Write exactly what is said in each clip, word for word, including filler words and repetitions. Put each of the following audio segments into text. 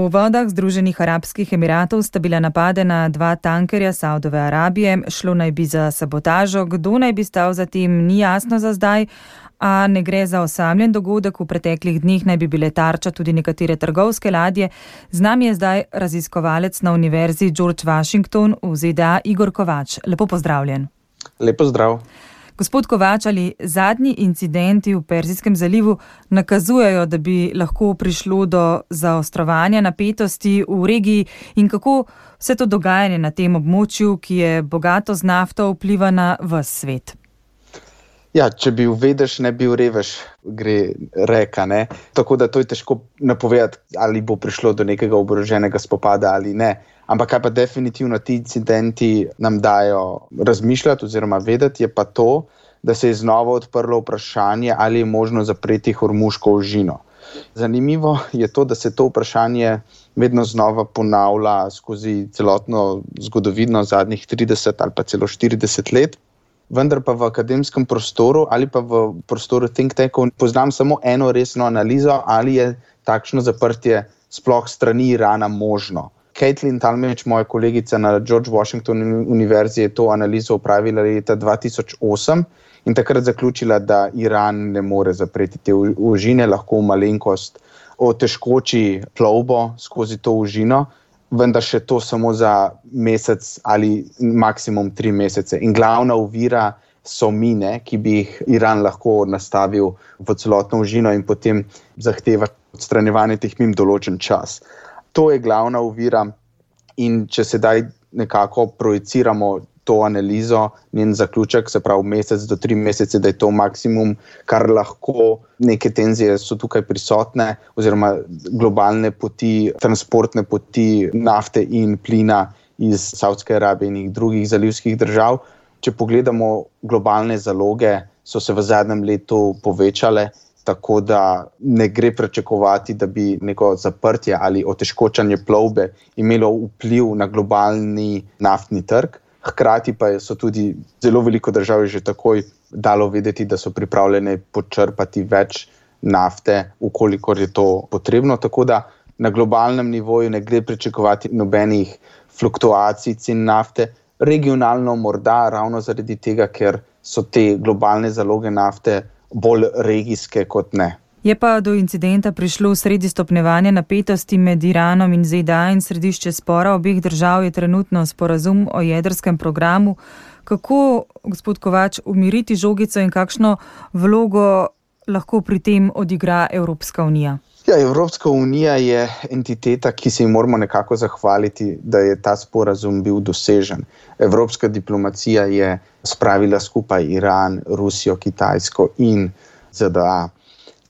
V vodah Združenih arabskih emiratov sta bila napadena dva tankerja Saudove Arabije, šlo naj bi za sabotažo, kdo naj bi stal za tem, ni jasno za zdaj, a ne gre za osamljen dogodek, v preteklih dneh naj bi bile tarča tudi nekatere trgovske ladje. Z nami je zdaj raziskovalec na Univerzi George Washington v Z D A Igor Kovač. Lepo pozdravljen. Lepo zdrav. Gospod Kovač, ali zadnji incidenti v Perzijskem zalivu nakazujejo, da bi lahko prišlo do zaostrovanja napetosti v regiji in kako vse to dogajanje na tem območju, ki je bogato z nafto, vpliva na ves svet? Ja, če bi uvedeš, ne bi urevež, gre reka, ne. Tako da to je težko napovedati, ali bo prišlo do nekega oboroženega spopada ali ne. Ampak kaj pa definitivno ti incidenti nam dajo razmišljati oziroma vedeti, je pa to, da se je znova odprlo vprašanje, ali je možno zapreti Hormuško ožino. Zanimivo je to, da se to vprašanje vedno znova ponavlja skozi celotno zgodovino zadnjih trideset ali pa celo štirideset let. Vendar pa v akademskem prostoru ali pa v prostoru think tankov poznam samo eno resno analizo, ali je takšno zaprtje sploh strani Irana možno. Caitlin Talmadge, moja kolegica na George Washington Univerzi, je to analizo opravila leta dva tisoč osem in takrat zaključila, da Iran ne more zapreti te ožine, lahko malenkost otežkoči plovbo skozi to ožino, vendar še to samo za mesec ali maksimum tri mesece. In glavna ovira so mine, ki bi jih Iran lahko nastavil v celotno ožino in potem zahteva odstranjevanje teh min določen čas. To je glavna ovira in če sedaj nekako projiciramo to analizo, njen zaključek, se pravi mesec do tri mesece, da je to maksimum, kar lahko, neke tenzije so tukaj prisotne, oziroma globalne poti, transportne poti nafte in plina iz Saudske Arabije in drugih zalivskih držav. Če pogledamo globalne zaloge, so se v zadnjem letu povečale, tako da ne gre pričakovati, da bi neko zaprtje ali otežkočanje plovbe imelo vpliv na globalni naftni trg. Hkrati pa so tudi zelo veliko držav že takoj dalo vedeti, da so pripravljene počrpati več nafte, ukolikor je to potrebno. Tako da na globalnem nivoju ne gre pričakovati nobenih fluktuacij cen nafte. Regionalno morda ravno zaradi tega, ker so te globalne zaloge nafte bolj regijske kot ne. Je pa do incidenta prišlo sredi stopnjevanja napetosti med Iranom in Z D A in središče spora obeh držav je trenutno sporazum o jedrskem programu. Kako, gospod Kovač, umiriti žogico in kakšno vlogo lahko pri tem odigra Evropska unija? Ja, Evropska unija je entiteta, ki se ji moramo nekako zahvaliti, da je ta sporazum bil dosežen. Evropska diplomacija je spravila skupaj Iran, Rusijo, Kitajsko in Z D A.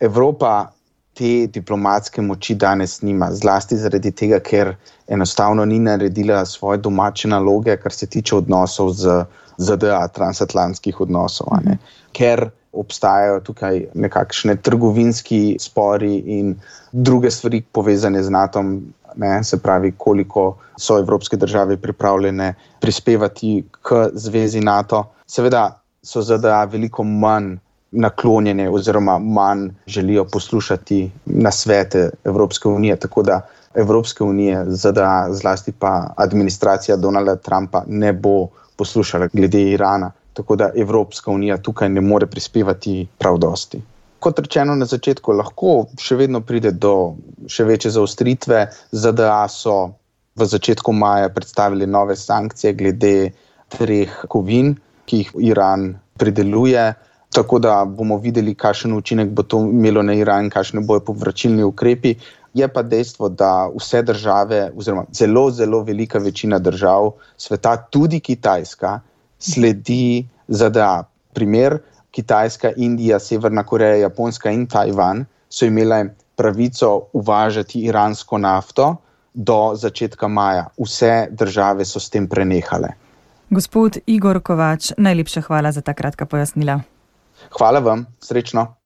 Evropa te diplomatske moči danes nima, zlasti zaradi tega, ker enostavno ni naredila svoje domače naloge, kar se tiče odnosov z Z D A, transatlantskih odnosov. Ne? Ker obstajajo tukaj nekakšne trgovinski spori in druge stvari povezane z natom, ne, se pravi, koliko so evropske države pripravljene prispevati k zvezi NATO. Seveda so Z D A veliko manj naklonjene oziroma manj želijo poslušati nasvete Evropske unije, tako da Evropske unije, Z D A, zlasti pa administracija Donalda Trumpa ne bo poslušala glede Irana. Tako da Evropska unija tukaj ne more prispevati prav dosti. Kot rečeno na začetku, lahko še vedno pride do še večje zaostritve. Z D A so v začetku maja predstavili nove sankcije glede treh kovin, ki jih Iran prideluje. Tako da bomo videli, kakšen učinek bo to imelo na Iran, kakšne bojo povračilni ukrepi. Je pa dejstvo, da vse države, oziroma zelo, zelo velika večina držav sveta, tudi Kitajska, sledi Z D A. Primer, Kitajska, Indija, Severna Koreja, Japonska in Tajvan so imele pravico uvažati iransko nafto do začetka maja. Vse države so s tem prenehale. Gospod Igor Kovač, najlepša hvala za ta kratka pojasnila. Hvala vam, srečno.